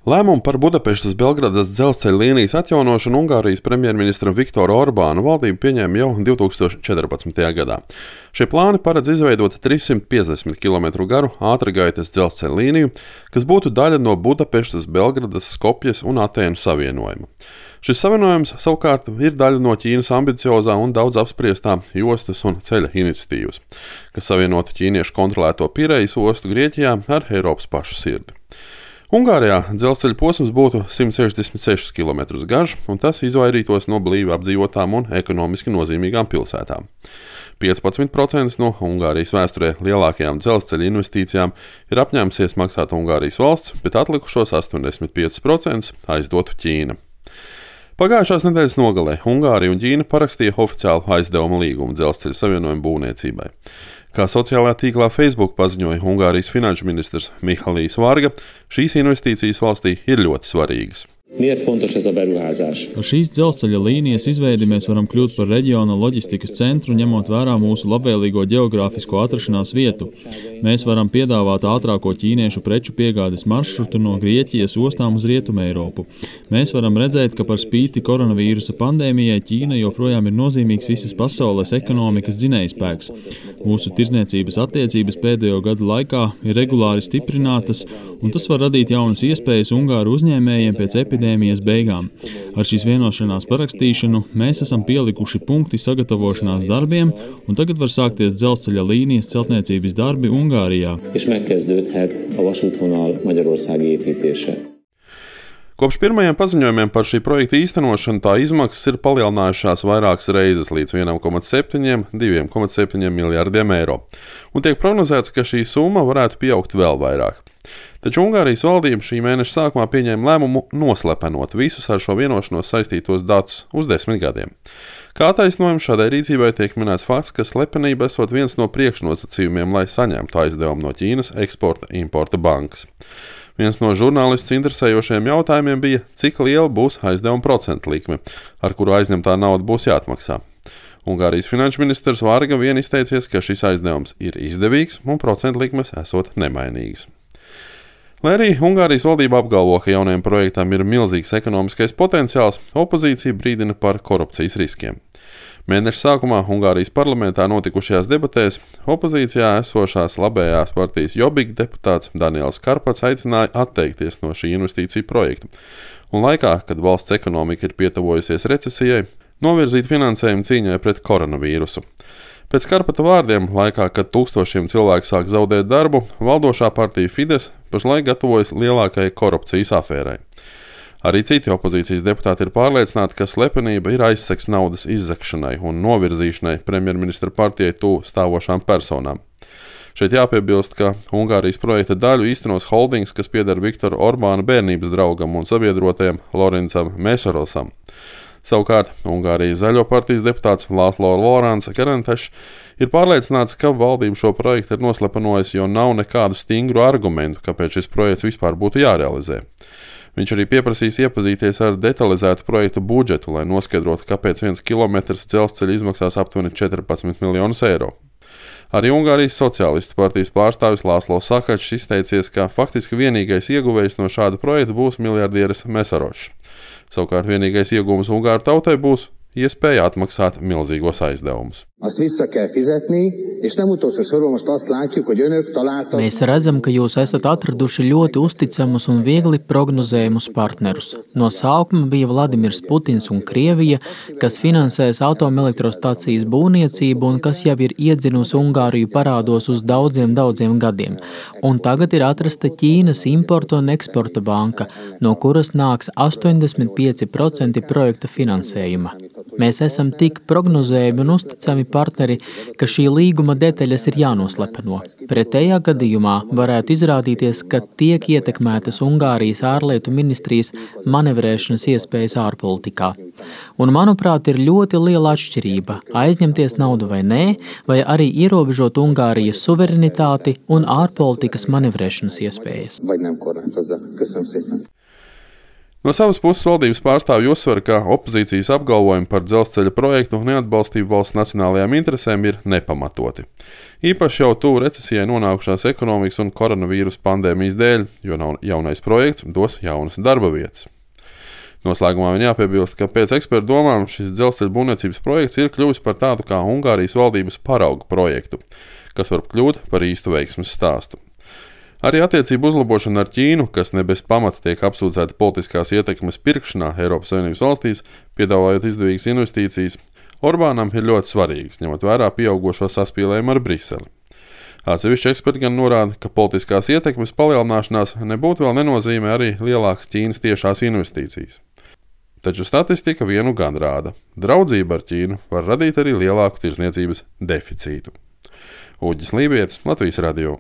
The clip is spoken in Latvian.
Lēmumu par Budapeštas Belgradas dzelzceļa līnijas atjaunošanu Ungārijas premjerministram Viktoru Orbānu valdība pieņēma jau 2014. gadā. Šie plāni paredz izveidot 350 km garu ātrgaitas dzelzceļa līniju, kas būtu daļa no Budapeštas, Belgradas, Skopjes un Atēnu savienojuma. Šis savienojums savukārt ir daļa no Ķīnas ambiciozā un daudz apspriestā jostas un ceļa iniciatīvas, kas savienotu ķīniešu kontrolēto Pirejas ostu Grieķijā ar Eiropas pašu sirdi. Ungārijā dzelzceļa posms būtu 166 km garš, un tas izvairītos no blīvi apdzīvotām un ekonomiski nozīmīgām pilsētām. 15% no Ungārijas vēsturē lielākajām dzelzceļa investīcijām ir apņēmusies maksāt Ungārijas valsts, bet atlikušos 85% aizdotu Ķīna. Pagājušās nedēļas nogalē Ungārija un Ķīna parakstīja oficiālu aizdevuma līgumu dzelzceļa savienojuma būvniecībai. Kā sociālajā tīklā Facebook paziņoja Ungārijas finanšu ministrs Mihalijs Varga, šīs investīcijas valstī ir ļoti svarīgas. Ar šīs dzelzceļa līnijas izveidi mēs varam kļūt par reģiona loģistikas centru, ņemot vērā mūsu labvēlīgo ģeogrāfisko atrašanās vietu. Mēs varam piedāvāt ātrāko ķīniešu preču piegādes maršrutu no Grieķijas ostām uz Rietumu Eiropu. Mēs varam redzēt, ka par spīti koronavīrusa pandēmijai Ķīna joprojām ir nozīmīgs visas pasaules ekonomikas dzinējspēks. Mūsu tirdzniecības attiecības pēdējo gadu laikā ir regulāri stiprinātas, un tas var radīt jaunas iespējas ungāru uzņēmējiem pēc epidēmijas beigām. Ar šīs vienošanās parakstīšanu mēs esam pielikuši punkti sagatavošanās darbiem, un tagad var sākties dzelzceļa līnijas celtniecības darbi Ungārijā. Kopš pirmajiem paziņojumiem par šī projekta īstenošanu tā izmaksas ir palielinājušās vairākas reizes līdz 1,7–2,7 miljardiem eiro, un tiek prognozēts, ka šī summa varētu pieaugt vēl vairāk. Taču Ungārijas valdība šī mēneša sākumā pieņēma lēmumu noslepenot visus ar šo vienošanos saistītos datus uz 10 gadiem. Kā attaisnojums šādai rīcībai tiek minēts fakts, ka slepenība esot viens no priekšnosacījumiem, lai saņemtu aizdevumu no Ķīnas Eksporta-importa bankas. Viens no žurnālists interesējošiem jautājumiem bija, cik liela būs aizdevuma procentu likme, ar kuru aizņemtā nauda būs jāatmaksā. Ungārijas finanšu ministrs Varga vien izteicies, ka šis aizdevums ir izdevīgs un procentu likmes esot nemainīgas. Lai arī Ungārijas valdība apgalvo, ka jaunajam projektam ir milzīgs ekonomiskais potenciāls, opozīcija brīdina par korupcijas riskiem. Mēneša sākumā Ungārijas parlamentā notikušajās debatēs opozīcijā esošās labējās partijas Jobbik deputāts Daniels Karpats aicināja atteikties no šī investīciju projekta, un laikā, kad valsts ekonomika ir pietavojusies recesijai, novirzīt finansējumu cīņai pret koronavīrusu. Pēc Karpata vārdiem, laikā, kad tūkstošiem cilvēku sāk zaudēt darbu, valdošā partija Fides pašlaik gatavojas lielākajai korupcijas afērai. Arī citi opozīcijas deputāti ir pārliecināti, ka slepenība ir aizsegs naudas izzakšanai un novirzīšanai premjerministra partijai tuvu stāvošām personām. Šeit jāpiebilst, ka Ungārijas projekta daļu īstenos holdings, kas pieder Viktora Orbāna bērnības draugam un sabiedrotajam Lorencam Mēsorosam. Savukārt, Ungārijas Zaļo partijas deputāts László Lorāns Kerentešs ir pārliecināts, ka valdība šo projektu ir noslepenojusi, jo nav nekādu stingru argumentu, kāpēc šis projekts vispār būtu jārealizē. Viņš arī pieprasīs iepazīties ar detalizētu projektu budžetu, lai noskaidrotu, kāpēc 1 kilometrs dzelzceļa izmaksās aptuveni 14 miljonus eiro. Arī Ungārijas sociālistu partijas pārstāvis László Sakačs izteicies, ka faktiski vienīgais ieguvējs no šāda projekta būs miljardieris Mēsorošs. Savukārt vienīgais iegūms Ungāru tautai būs iespēja atmaksāt milzīgos aizdevumus. Mēs redzam, ka jūs esat atraduši ļoti uzticamus un viegli prognozējumus partnerus. No sākuma bija Vladimirs Putins un Krievija, kas finansēs atomelektrostacijas būvniecību un kas jau ir iedzinusi Ungāriju parādos uz daudziem gadiem. Un tagad ir atrasta Ķīnas importa un eksporta banka, no kuras nāks 85% projekta finansējuma. Mēs esam tik prognozējami un uzticami partneri, ka šī līguma detaļas ir jānoslepeno. Pretējā gadījumā varētu izrādīties, ka tiek ietekmētas Ungārijas ārlietu ministrijas manevrēšanas iespējas ārpolitikā. Un, manuprāt, ir ļoti liela atšķirība aizņemties naudu vai nē, vai arī ierobežot Ungārijas suverenitāti un ārpolitikas manevrēšanas iespējas. No savas puses valdības pārstāvji uzsver, ka opozīcijas apgalvojumi par dzelzceļa projektu neatbalstību valsts nacionālajām interesēm ir nepamatoti. Īpaši jau tuvu recesijai nonākušās ekonomikas un koronavīrus pandēmijas dēļ, jo jaunais projekts dos jaunas darba vietas. Noslēgumā vien jāpiebilst, ka pēc ekspertu domām šis dzelzceļa būvniecības projekts ir kļuvis par tādu kā Ungārijas valdības paraugu projektu, kas var kļūt par īstu veiksmes stāstu. Arī attiecību uzlabošana ar Ķīnu, kas ne bez pamata tiek apsūdzēta politiskās ietekmes pirkšanā Eiropas Savienības valstīs, piedāvājot izdevīgas investīcijas, Orbānam ir ļoti svarīgas, ņemot vērā pieaugušo saspīlējumu ar Briseli. Atsevišķi eksperti gan norāda, ka politiskās ietekmes palielināšanās nebūtu vēl nenozīmē arī lielākas Ķīnas tiešās investīcijas. Taču statistika vienu gan rāda. Draudzība ar Ķīnu var radīt arī lielāku tirdzniecības deficītu. Uģis Lībietis, Latvijas radio.